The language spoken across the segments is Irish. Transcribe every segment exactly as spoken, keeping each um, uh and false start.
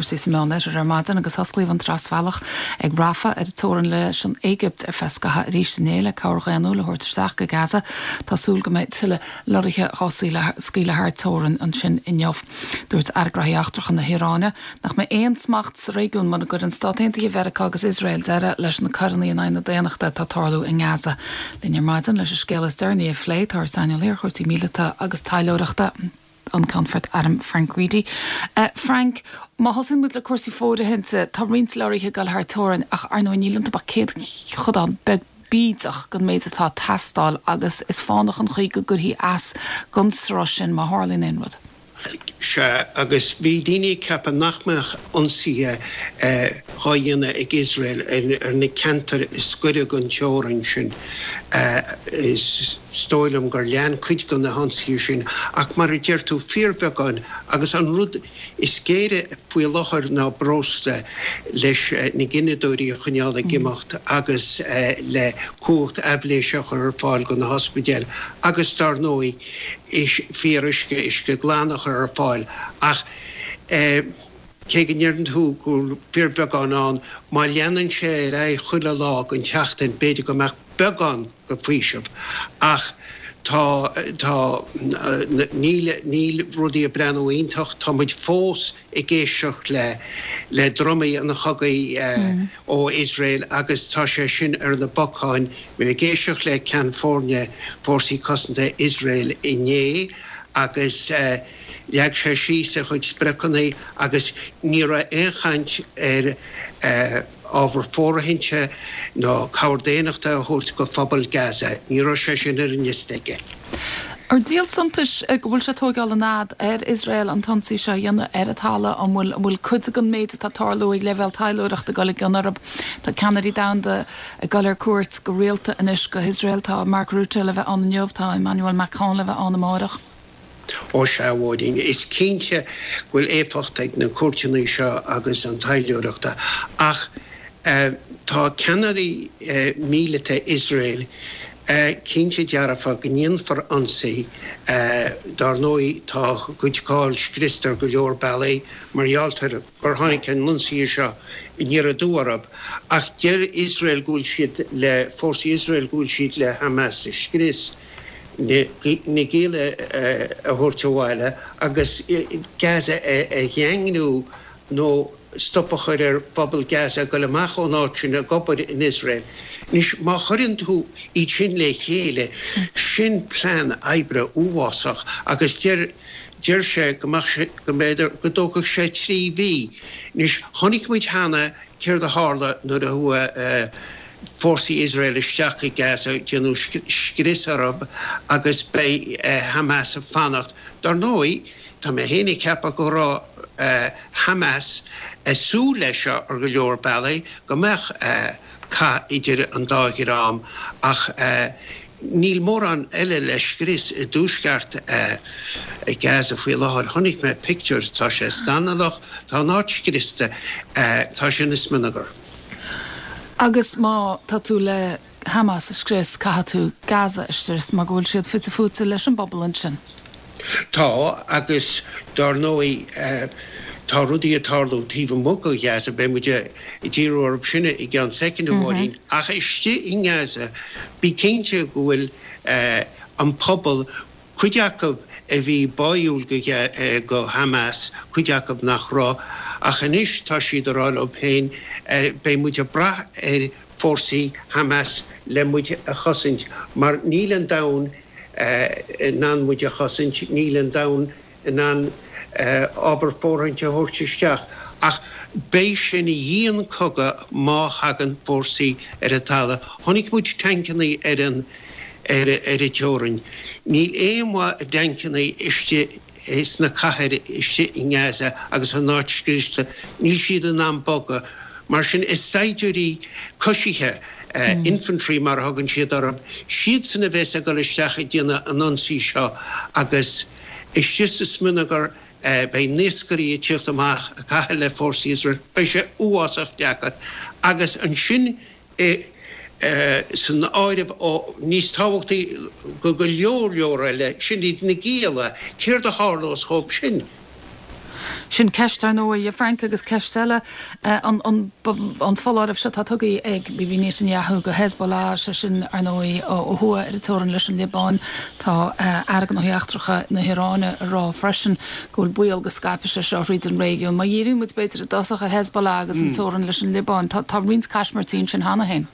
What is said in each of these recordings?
cúrsaí sa Meánoirthear ar maidin agus osclaíodh an trasbhealach ag Rafah ar an teorainn leis an Éigipt ar feadh scaitheamh arís inné le cabhair dhaonnúil a thabhairt isteach go Gaza. Tá súil go mbeidh tuilleadh lorraithe á scaoileadh thar teorainn ansin inniu. Dúirt Aire Gnóthaí Eachtracha na hIaráine nach mbeidh aon smacht sa réigiún mura gcuireann Stáit Aontaithe Mheiriceá agus Iosrael deireadh leis na coireanna in aghaidh na daonnachta atá ag tarlú i nGaza. Linn ar maidin leis an scéal is deireanaí a phlé tá saineolaí ar chúrsaí míleata agus taidhleoireachta an Ceannfort Airm Frank Reidy. Uh, Frank, má thosaíonn muid le cúrsaí fóirithinte, tá roinnt leoraithe ag dul thar teorainn ach ar ndóigh níl iontu ach céatadán beag bídeach den méid atá ag teastáil agus is fánach an chaoi go gcuirfí as don sruth sin má tharlaíonn aon rud. Sea, agus bhí daoine ag ceapadh nach mbeadh ionsaithe dhá dhéanamh ag Iosrael ar na ceantair is gaire don teorainn sin. Is dóigh liom gur lean cuid de na hionsaithe sin, ach mar a deir tú, fíorbheagán, agus an rud is géire faoi láthair ná breosla leis na gineadóirí a choinneáil ag imeacht agus le cumhacht aibhléise a chur ar fáil do na hospidéil agus dar ndóigh, fíoruisce, uisce glan a chur ar fáil ach cé go ndeireann tú go bhfuil fíorbheagán ann, má leanann sé ar aghaidh chuile lá den tseachtain, b'fhéidir go mbeadh beagán de faoiseamh ach tá, tá, níl, níl rudaí ag breathnú iontach, tá muid fós ag éisteacht le, le drumaí an chogaidh ó Iosrael agus tá sé sin ar na bacáin. Bhí mé ag éisteacht le Ceann Foirne Fórsaí Cosanta Iosrael inné agus leag sé síos a chuid spriocanna agus ní raibh aon chaint ar ábhar fóirithinte ná cabhair daonnachta a thabhairt go phobal Gaza. Ní raibh sé sin ar an liosta aige. Ar díol suntais go bhfuil sé ag tóigeáil an fhad ar Iosrael an t-ionsaí seo a dhéanamh ar an talamh? An bhfuil an bhfuil cuid den méid atá ag tarlú ag leibhéal taidhleoireachta ag dul i gcion orthu? Tá ceannairí domhanda ag dul ar cuairt go rialta anois go hIosrael. Tá Mark Rutte le bheith ann inniu, tá Emmanuel Macron le bheith ann amáireach. Ó sea, a Mháirín, is cinnte go bhfuil éifeacht ag na cuairteanna seo agus an taidhleoireachta ach tá ceannairí míleata Iosrael cinnte dearfa go ndéanfar ionsaí. Dar ndóigh, tá a gcuid cáil scriosta ar go leor bealaí mar gheall ar gur tháinig an ionsaí seo aniar aduaidh orthu. Ach deir Iosrael go bhfuil siad le, fórsaí Iosrael go bhfuil siad le Hamas a scrios, na gialla a thabhairt abhaile agus Gaza a dhaingniú nó stop a chur ar phobal Gaza ag dul amach ón áit sin ag obair in Iosrael. Anois, má chuireann tú iad sin le chéile, sin plean oibre uafásach agus deir deir sé go mbeadh sé, go mb'fhéidir go dtógfadh sé trí mhí. Anois, chonaic muid cheana céard a tharla nuair a chuaigh fórsaí Iosrael isteach i Gaza, déanadh scrios orthu agus beidh Hamas ag fanacht. Dar ndóigh, tá mé féin ag ceapadh go raibh Hamas ag súil leis seo ar go leor bealaí, go mbeadh cath idir an dá dhream ach níl mórán eile le scrios i dtuaisceart Gaza faoi láthair. Chonaic mé pictiúir, tá sé scannalach, tá an áit scriosta, tá sé ina smionagar. Agus má tá tú le Hamas a scrios, caithfidh tú Gaza a scrios mar go bhfuil siad fite fuaite leis an bpobal ansin. Tá, agus dár ndóigh tá rudaí ag tarlú taobh amuigh de Ghaza, beidh muid ag díriú orthu sin i gceann soicind, a Mháirín, ach istigh i nGaza, bí cinnte go bhfuil an pobal, cuid acu a bhí báúil go Hamas, cuid acu nach raibh, ach anois tá siad ag rá leo féin, beidh muid ag brath ar fórsaí Hamas le muid a chosaint mar níl an domhan in ann muid a chosaint, níl an domhan in ann ábhar fóirithinte a thabhairt isteach. Ach beidh sé ina dhian-chogadh má thagann fórsaí ar an talamh. Chonaic muid tancanna ar an ar an teorainn. Níl aon mhaith i dtancanna istigh sna cathair istigh i nGaza agus an áit scriosta. Níl siad in ann bogadh. Mar sin, is saighdiúirí coisithe, infantry mar a thugann siad orthu, siadsan a bheas ag dul isteach ag déanamh an ionsaí seo agus istigh sa smionagar beidh naoscairí ag tíocht amach ag caitheamh le fórsaí Iosrael. Beidh sé uafásach deacair. Agus ansin i san áireamh, níos tábhachtaí go go leor leor eile, sin iad na gialla. Céard a tharlós dhóibh sin? Sin ceist ar ndóigh, a Frank agus ceist eile an an foláireamh seo atá tugtha ag Bibi Netanyahu go Hezbollah, sé sin ar ndóigh ó thuaidh ar an teorainn leis an Liobáin. Tá Aire Gnóthaí Eachtracha na hIaráine ag rá freisin go bhfuil baol go scaipfidh sé seo thríd an réigiún. Má dhíríonn muid b'fhéidir i dtosach ar Hezbollah agus an teorainn leis an Liobáin, tá tá roinnt caismirtí ansin cheana féin.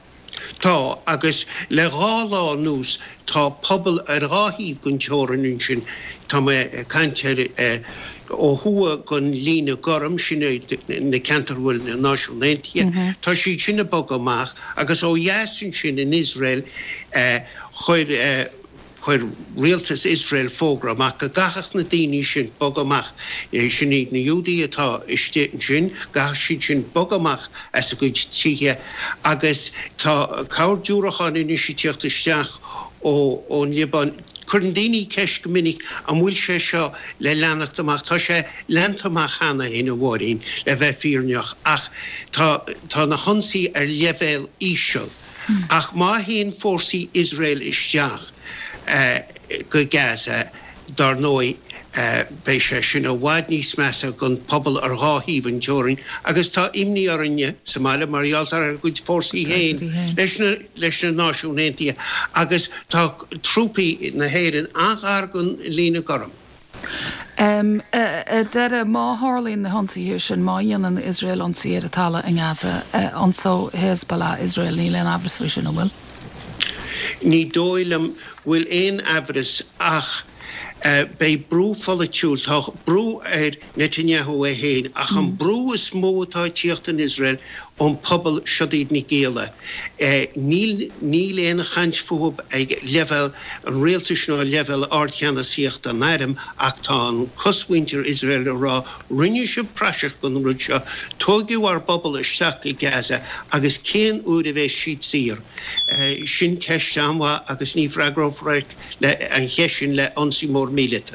Tá, agus le dhá lá anuas tá pobal ar dhá thaobh den teorainn ansin, tá mé ag caint ar ó thuaidh den líne gorm, sin é na ceantair a bhfuil na Náisiúin Aontaithe, tá siad sin ag bogadh amach, agus ó dheas ansin in Iosrael chuir Chuir rialtas Iosrael fógra amach go gcaithfeadh na daoine sin bogadh amach, sin iad na Iúdaigh atá istigh ansin, go gcaithfeadh siad sin bogadh amach as a gcuid tithe agus tá cabhair diúracán anois ag tíocht isteach ón Liobáin. Cuireann daoine ceist go minic an bhfuil sé seo le leanacht amach. Tá sé leanta amach cheana féin, a Mháirín, le bheith fírinneach, ach tá tá na hionsaithe ar leibhéal íseal. Ach má théann fórsaí Iosrael isteach go Gaza, dar ndóigh, beidh sé sin i bhfad níos measa don phobal ar dhá thaobh an teorainn agus tá imní orainne sa mbaile mar gheall ar ár gcuid fórsaí féin leis na leis na Náisiúin Aontaithe agus tá trúpaí na hÉireann an-ghar don líne gorm. Ar deireadh, má tharlaíonn na hionsaithe sin, má dhéanann Iosrael ionsaí ar an talamh i nGaza, ionsóidh Hezbollah Iosrael, níl aon amhras faoi sin, an bhfuil? Ní dóigh liom go bhfuil aon amhras ach beidh brú pholaitiúil, tá brú ar Netanyahu é féin ach an brú is mó atá ag tíocht in Iosrael ón pobal, siod iad na gialla. Níl níl aon chaint fúthu ag leibhéal an rialtais ná leibhéal ardcheannasaíochta an airm ach tá an cosmhuintir Iosrael ag rá rinne sibh praiseach den rud seo, tóigeadh ár bpobal isteach go Gaza agus cén uair a bheas siad saor? Sin ceist an-mhaith agus ní freagrófar an cheist sin le ionsaí mór míleata.